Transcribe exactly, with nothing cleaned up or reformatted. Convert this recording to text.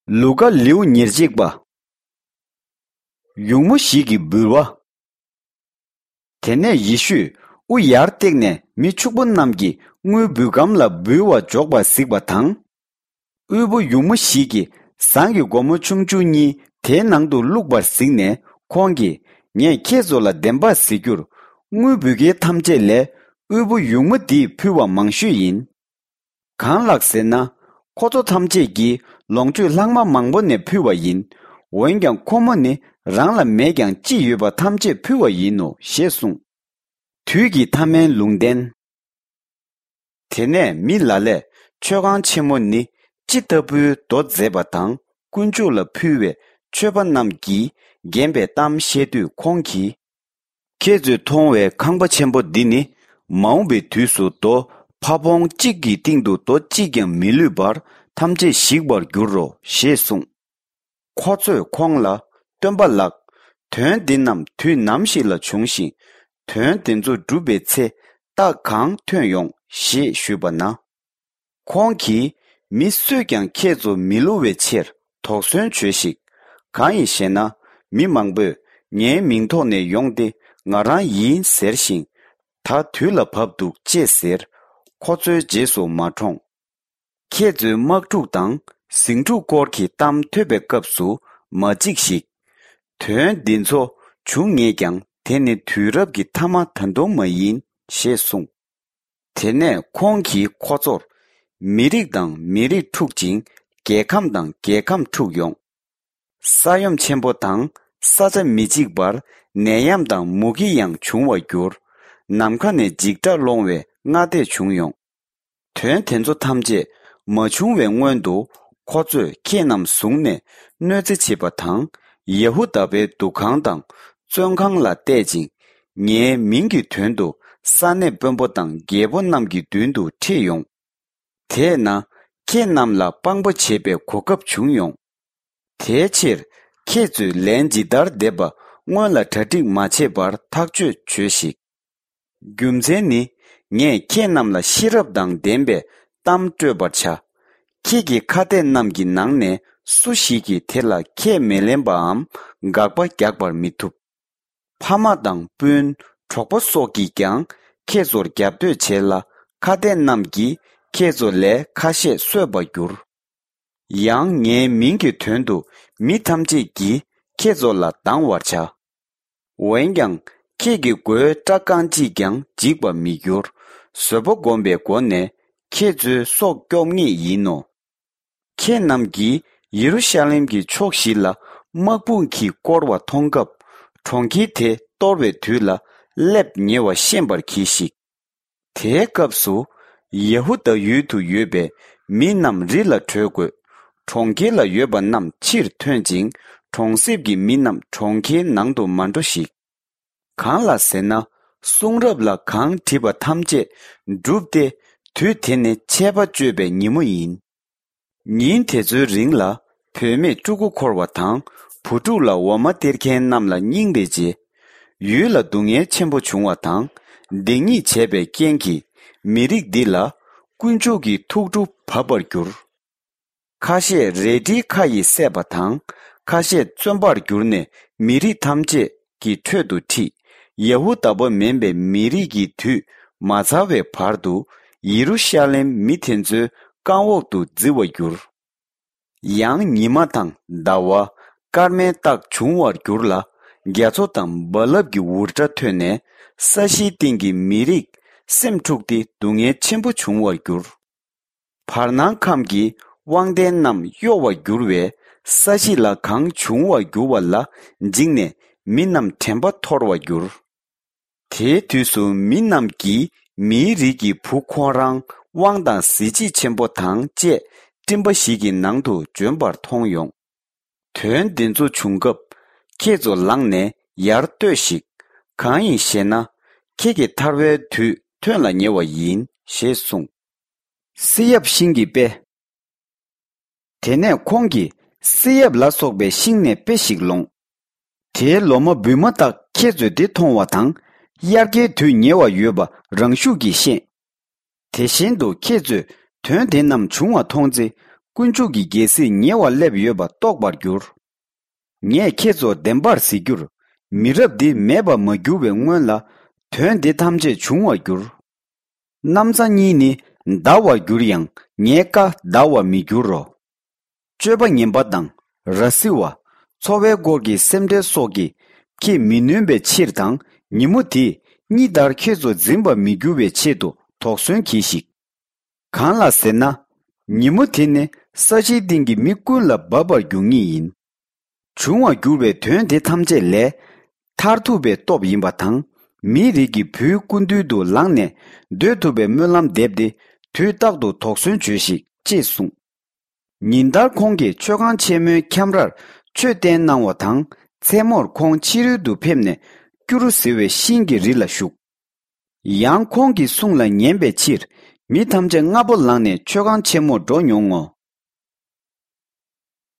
ལུ་ཀ་ལེའུ་ཉེར་གཅིག་པ། ཡུགས་མོ་ཞིག་གི་འབུལ་བ། དེ་ནས་ཡེ་ཤུས་དབུ་ཡར་བཏེགས་ནས་མི་ཕྱུག་པོ་རྣམས་ཀྱིས་དངུལ་འབུལ་སྒམ་ལ་འབུལ་བ་འཇོག་པར་གཟིགས་པ་དང་། དབུལ་པོ་ཡུགས་མོ་ཞིག་གིས་ཟངས་ཀྱི་སྒོར་མོ་ཆུང་ཆུང་གཉིས་དེའི་ནང་དུ་བླུགས་པར་གཟིགས་ནས་ཁོང་གིས། ངས་ཁྱེད་ཚོ་ལ་བདེན་པར་ཟེར་རྒྱུར། དངུལ་འབུལ་མཁན་ཐམས་ཅད་ལས་དབུལ་པོ་ཡུགས་མོ་འདིས་ཕུལ་བ་མང་ཤོས་ཡིན། གང་ལགས་ཟེར་ན། ཁོ་ཚོ་ཐམས་ཅད་ཀྱིས་ལོངས་སྤྱོད་ལྷག་མ་མང་པོ་ནས་ཕུལ་བ་ཡིན། འོན་ཀྱང་ཁོ་མོ་ནི་རང་ལ་མེད་ཀྱང་ཅི་ཡོད་པ་ཐམས་ཅད་ཕུལ་བ་ཡིན་ནོ་ཞེས་གསུངས། དུས་ཀྱི་ཐ་མའི་ལུང་བསྟན། དེ་ནས་མི་ལ་ལས་མཆོད་ཁང་ཆེན་མོ་ནི་ཅི་ལྟ་བུའི་མདོ་མཛད་པ་དང་དཀོན་མཆོག་ལ་ཕུལ་བའི་མཆོད་པ་རྣམས་ཀྱིས་བརྒྱན་པའི་གཏམ་བཤད་དུས་ཁོང་གིས། ཁྱེད་ཚོས་མཐོང་བའི་ཁང་པ་ཆེན་པོ་འདི་ནི་མ་འོངས་པའི་དུས་སུ་རྡོ་ཕ་བོང་གཅིག་གི་སྟེང་དུ་རྡོ་གཅིག་ཀྱང་མི་ལུས་པར་ཐམས་ཅད་ཞིག་པར་འགྱུར་རོ་ཞེས་གསུངས། ཁོ་ཚོས་ཁོང་ལ། སྟོན་པ་ལགས། དོན་འདི་རྣམས་དུས་ནམ་ཞིག་ལ་འབྱུང་ཞིང་། དོན་འདི་ཚོ་འགྲུབ་པའི་ཚེ་རྟགས་གང་ཐོན་ཡོང་ཞེས་ཞུས་པ་ན། ཁོང་གིས། མི་སུས་ཀྱང་ཁྱེད་ཚོ་མི་བསླུ་བའི་ཕྱིར་དོགས་ཟོན་བྱོས་ཤིག། གང་ཡིན་ཞེ་ན། མི་མང་པོས་ངའི་མིང་ཐོག་ནས་ཡོང་སྟེ་ང་རང་ཡིན་ཟེར་ཞིང་། ད་དུས་ལ་བབ་འདུག་ཅེས་ཟེར། ཁོ་ཚོའི་རྗེས་སུ་མ་འབྲངས། ཁྱེད་ཚོའི་དམག་འཁྲུག་དང་ཟིང་འཁྲུག་སྐོར་གྱི་གཏམ་ཐོས་པའི་སྐབས་སུ་མ་འཇིགས་ཤིག། དོན་འདི་ཚོ་འབྱུང་ངེས་ཀྱང་དེ་ནི་དུས་རབས་ཀྱི་མཐའ་མ་ད་དུང་མ་ཡིན་ཞེས་གསུངས། དེ་ནས་ཁོང་གིས་ཁོ་ཚོར། མི་རིགས་དང་མི་རིགས་འཁྲུག་ཅིང་རྒྱལ་ཁམས་དང་རྒྱལ་ཁམས་འཁྲུག་ཡོང་། ས་ཡོམ་ཆེན་པོ་དང་ས་ཆ་མི་གཅིག་པར་ནད་ཡམས་དང་མུ་གེ་ཡང་འབྱུང་བར་འགྱུར། ནམ་མཁའ་ནས་འཇིགས་སྐྲག་སློང་བའི་སྔ་ལྟས་བྱུང་ཡོང་། དོན་དེ་ཚོ་ཐམས་ཅད་མ་བྱུང་བའི་སྔོན་དུ་ཁོ་ཚོས་ཁྱེད་རྣམས་བཟུང་ནས་གནོད་འཚེ་བྱེད་པ་དང་། ཡ་ཧུ་དཱ་པའི་འདུ་ཁང་དང་བཙོན་ཁང་ལ་གཏད་ཅིང་། ངའི་མིང་གི་དོན་དུ་ས་གནས་དཔོན་པོ་དང་རྒྱལ་པོ་རྣམས་ཀྱི་མདུན་དུ་ཁྲིད་ཡོང་། དེས་ན་ཁྱེད་རྣམས་ལ་དཔང་པོ་བྱེད་པའི་གོ་སྐབས་བྱུང་ཡོང་། དེའི་ཕྱིར་ཁྱེད་ཚོས་ལན་ཇི་ལྟར་འདེབས་པ་སྔོན་ལ་གྲ་སྒྲིག་མ་བྱས་པར་ཐག་གཅོད་བྱོས་ཤིག། རྒྱུ་མཚན་ནི། ངས་ཁྱེད་རྣམས་ལ་ཤེས་རབ་དང་ལྡན་པའི་གཏམ་སྤྲོད་པར་བྱ། ཁྱེད་ཀྱི་ཁ་གཏད་རྣམས་ཀྱི་ནང་ནས་སུ་ཞིག་གིས་དེ་ལ་ཁས་མི་ལེན་པའམ་དགག་པ་རྒྱག་པར་མི་ཐུབ། ཕ་མ་དང་སྤུན་གྲོགས་པོ་སོགས་ཀྱིས་ཀྱང་ཁྱེད་ཚོར་རྒྱབ་གཏོད་བྱེད་ལ། ཁ་གཏད་རྣམས་ཀྱིས་ཁྱེད་ཚོ་ལས་ཁ་ཤས་གསོད་པར་འགྱུར། ཡང་ངའི་མིང་གི་དོན་དུ་མི་ཐམས་ཅད་ཀྱིས་ཁྱེད་ཚོ་ལ་སྡང་བར་བྱ། འོན་ཀྱང་ཁྱེད་ཀྱི་མགོའི་སྐྲ་རྐང་གཅིག་ཀྱང་འཇིག་པར་མི་འགྱུར། བཟོད་པ་བསྒོམས་པའི་སྒོ་ནས་ཁྱེད་ཚོའི་སྲོག་སྐྱོབ་ངེས་ཡིན་ནོ། ཁྱེད་རྣམས་ཀྱིས་ཡེ་རུ་ཤ་ལེམ་གྱི་ཕྱོགས་བཞི་ལ་དམག་དཔུང་གིས་བསྐོར་བ་མཐོང་སྐབས། གྲོང་ཁྱེར་དེ་གཏོར་བའི་དུས་ལ་སླེབས་ཉེ་བ་ཤེས་པར་གྱིས་ཤིག། དེའི་སྐབས་སུ་ཡ་ཧུ་དཱ་ཡུལ་དུ་ཡོད་པའི་མི་རྣམས་རི་ལ་བྲོས་དགོས། གྲོང་ཁྱེར་ལ་ཡོད་པ་རྣམས་ཕྱིར་ཐོན་ཅིང་གྲོང་གསེབ་ཀྱི་མི་རྣམས་གྲོང་ཁྱེར་ནང་དུ་མ་འགྲོ་ཞིག། གང་ལ་ཟེར་ན། གསུང་རབ་ལ་གང་བྲིས་པ་ཐམས་ཅད་འགྲུབ་སྟེ། དུས་དེ་ནི་ཆད་པ་གཅོད་པའི་ཉིན་མོ་ཡིན། ཉིན་དེ་ཚོའི་རིང་ལ་བུད་མེད་ཕྲུ་གུ་འཁོར་བ་དང་བུ་ཕྲུག་ལ་འོ་མ་སྟེར་མཁན་རྣམས་ལ་སྙིང་རེ་རྗེ། ཡུལ་ལ་སྡུག་བསྔལ་ཆེན་པོ་བྱུང་བ་དང་སྡིག་ཉེས་བྱས་པའི་རྐྱེན་གྱིས་མི་རིགས་འདི་ལ་དཀོན་མཆོག་གི་ཐུགས་ཁྲོ་བབས་པར་འགྱུར། ཁ་ཤས་རལ་གྲིའི་ཁ་ཡིས་བསད་པ་དང་ཁ་ཤས་བཙོན་པར་གྱུར་ནས་མི་རིགས་ཐམས་ཅད་ཀྱི་ཁྲོད་དུ་ཁྲིད། ཡ་ཧུ་དཱ་པ་མིན་པའི་མི་རིགས་ཀྱི་དུས་མ་ཚར་བའི་བར་དུ་ཡེ་རུ་ཤ་ལེམ་མི་དེ་ཚོའི་རྐང་འོག་ཏུ་བརྫི་བར་འགྱུར། ཡང་ཉི་མ་དང་ཟླ་བ་སྐར་མའི་རྟགས་འབྱུང་བར་འགྱུར་ལ། རྒྱ་མཚོ་དང་རྦ་རླབས་ཀྱི་འུར་སྒྲ་ཐོས་ནས་ས་གཞིའི་སྟེང་གི་མི་རིགས་སེམས་འཁྲུགས་ཏེ་སྡུག་བསྔལ་ཆེན་པོ་འབྱུང་བར་འགྱུར། བར་སྣང་ཁམས་ཀྱི་དབང་ལྡན་རྣམས་གཡོ་བར་འགྱུར་བས་ས་གཞི་ལ་གང་འབྱུང་བར་འགྱུར་བ་ལ་འཇིགས་ནས་མི་རྣམས་དྲན་པ་འཐོར་བར་འགྱུར། དེའི་དུས་སུ་མི་རྣམས་ཀྱིས་མིའི་རིགས་ཀྱི་བུ་ཁོ་རང་དབང་དང་གཟི་བརྗིད་ཆེན་པོ་དང་བཅས་སྤྲིན་པ་ཞིག་གི་ནང་དུ་འབྱོན་པར་མཐོང་ཡོང་། དོན་འདི་ཚོ་བྱུང་སྐབས་ཁྱེད་ཚོ་ལངས་ནས་ཡར་ལྟོས་ཤིག། གང་ཡིན་ཞེ་ན། ཁྱེད་ཀྱི་ཐར་བའི་དུས་ཐོན་ལ་ཉེ་བ་ཡིན་ཞེས་གསུངས། བསེ་ཡབ་ཤིང་གི་དཔེ། དེ་ནས་ཁོང་གིས་བསེ་ཡབ་ལ་སོགས་པའི་ཤིང་ནས་དཔེ་ཞིག་ལོངས། དེའི་ལོ་མ་འབུས་མ་ཐག་ཁྱེད་ཚོས་དེ་མཐོང་བ་དང་། དབྱར་ཁའི་དུས་ཉེ་བ་ཡོད་པ་རང་ཤུགས་ཀྱིས་ཤེས། དེ་བཞིན་དུ་ཁྱེད་ཚོས་དོན་དེ་རྣམས་བྱུང་བ་མཐོང་ཚེ། དཀོན་མཆོག་གི་རྒྱལ་སྲིད་ཉེ་བར་སླེབས་ཡོད་པ་རྟོགས་པར་འགྱུར། ངས་ཁྱེད་ཚོར་བདེན་པར་ཟེར་རྒྱུར། མི་རབས་འདི་མེད་པར་མ་གྱུར་བའི་སྔོན་ལ། དོན་འདི་ཐམས་ཅད་འབྱུང་བར་འགྱུར། གནམ་ས་གཉིས་ནི་འདའ་བར་འགྱུར་ཡང་། ངའི་བཀའ་འདའ་བར་མི་འགྱུར་རོ། སྤྱོད་པ་ངན་པ་དང་། ར་བཟི་བ། འཚོ་བའི་སྐོར་གྱི་སེམས་ཁྲལ་སོགས་ཀྱིས། ཁྱེད་མི་ནོན་པའི་ཕྱིར་དང་། ཉིན་མོ་དེས་གཉིད་ལྟར་ཁྱེད་ཚོ་འཛིན་པར་མི་འགྱུར་བའི་ཆེད་དུ་དོགས་ཟོན་གྱིས་ཤིག། གང་ལ་ཟེར་ན། ཉིན་མོ་དེ་ནི་ས་གཞིའི་སྟེང་གི་མི་ཀུན་ལ་འབབ་པར་འགྱུར་ངེས་ཡིན། འབྱུང་བར་འགྱུར་བའི་དོན་དེ་ཐམས་ཅད་ལས། མཐར་ཐུག་པའི་སྟོབས་ཡིན་པ་དང་། མིའི་རིགས་ཀྱི་བུའི་སྐུ་མདུན་དུ་ལངས་ནས། སྡོད་ཐུབ་པའི་སྨོན་ལམ་འདེབས་ཏེ། དུས་རྟག་ཏུ་དོགས་ཟོན་བྱོས་ཤིག། ཅེས་གསུངས། ཉིན་ལྟར་ཁོང་གིས་མཆོད་ཁང་ཆེན་མོའི་ཁྱམས་རར་ཆོས་བསྟན་གནང་བ་དང་། མཚན་མོར་ཁོང་ཕྱི་རོལ་དུ་ཕེབས་ནས། སྐྱུ་རུ་ཟེར་བའི་ཤིང་གི་རི་ལ་བཞུགས། ཡང་ཁོང་གི་གསུང་ལ་ཉན་པའི་ཕྱིར། མི་ཐམས་ཅད་སྔ་པོ་ལངས་ནས་མཆོད་ཁང་ཆེན་མོར་འགྲོ་མྱོང་ངོ་།